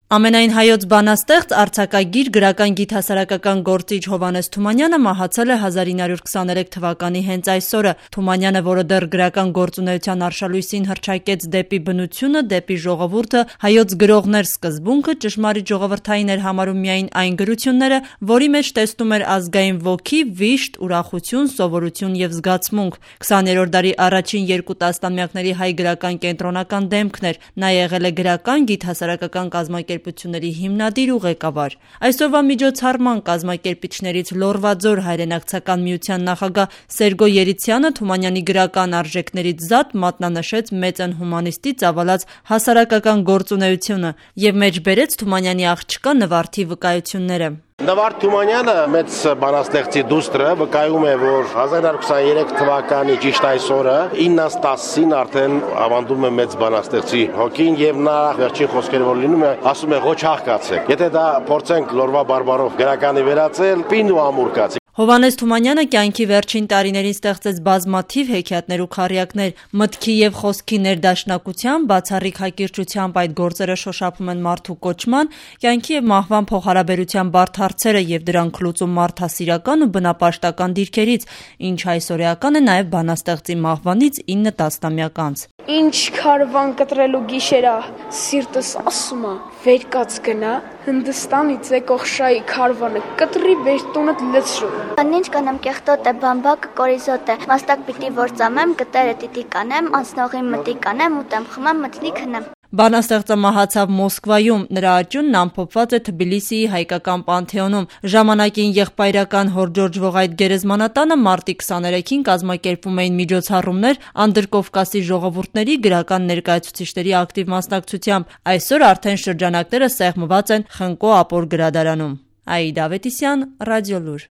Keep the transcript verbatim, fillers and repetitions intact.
Ամենայն հայոց բանաստեղծ, արձակագիր, գրական գիտհասարակական գործիչ Հովհաննես Թումանյանը մահացել է հազար ինը հարյուր քսաներեք թվականի հենց այսօրը։ Թումանյանը, որը դեռ գրական գործունեության արշալույսին հռչակեց դեպի բնությունը, դեպի ժողովուրդը, հայոց գրողներ սկզբունքը, ճշմարիտ ժողովրդային էր համարում միայն այն գրությունները, որի մեջ տեսնում էր ազգային ոգի, վիշտ, ուրախություն, սովորություն եւ զգացմունք։ քսաներորդ դարի առաջին երկու տասնամյակների հայ գրական կենտրոնական դեմքն էր։ Նա եղել է գրական, գիտհասարակական կազմակերպությունների հիմնադիր ու ղեկավար։ Այսօրվա միջոցառման կազմակերպիչներից Լոռվաձոր հայրենակցական միության նախագահ Սերգո Երիցյանը Թումանյանի գրական արժեքներից զատ մատնանշեց մեծն հումանիստի ծավալած հասարակական գործունեությունը եւ մեջբերեց Թումանյանի աղջկա Նվարդի վկայությունները։ Նվարդ Թումանյանը մեծ բանաստեղծի դուստրը վկայում է, որ հազար ինը հարյուր քսաներեք թվականի ճիշտ այսօրը իննից տասին արդեն ավանդում է մեծ բանաստեղծի հոգին եւ նա վերջին խոսքերը որ լինում է ասում է ոչ աղքացեք։ Եթե դա փորձենք Լոռվա բարբարով գրականի վերածել, պին ու ամուր կացի։ Հովհաննես Թումանյանը կյանքի վերջին տարիներին ստեղծեց բազմաթիվ հեքիաթներ ու քառյակներ։ Մտքի եւ խոսքի ներդաշնակությամբ, բացառիկ հակիրճությամբ այդ գործերը շոշափում են մարդու կոչման, կյանքի եւ մահվան փոխհարաբերության բարդ հարցերը եւ դրանք լուծում մարդասիրական ու բնապաշտական դիրքերից, ինչ այսօրեական է նաեւ բանաստեղծի մահվանից ինը տասնամյակ անց։ Ինչ քարվան կտրելու գիշերա, սիրտս ասում է, վեր կաց գնա, Հնդստանից եկող շայի քարվանը կտրի վեր տունդ լցրու։ Ինչ կանեմ կեղտոտ է, բամբակը կորիզոտ է, մաստակ պիտի որ ծամեմ, կտերը տիտի կանեմ, անցնողի մտի կանեմ, ուտեմ խմեմ, մտնի քնեմ։ Բանաստեղծը մահացավ Մոսկվայում, նրա աճյունն ամփոփված է Թբիլիսիի հայկական պանթեոնում։ Ժամանակին եղբայրական հորդորժվող այդ գերեզմանատանը մարտի քսաներեքին կազմակերպվում էին միջոցառումներ Անդրկովկասի ժողովուրդների գրական ներկայացուցիչների ակտիվ մասնակցությամբ։ Այսօր արդեն շրջանակները սեղմված են Խնկո Ապոր գրադարանում։ Աիդա Ավետիսյան, Ռադիոլուր։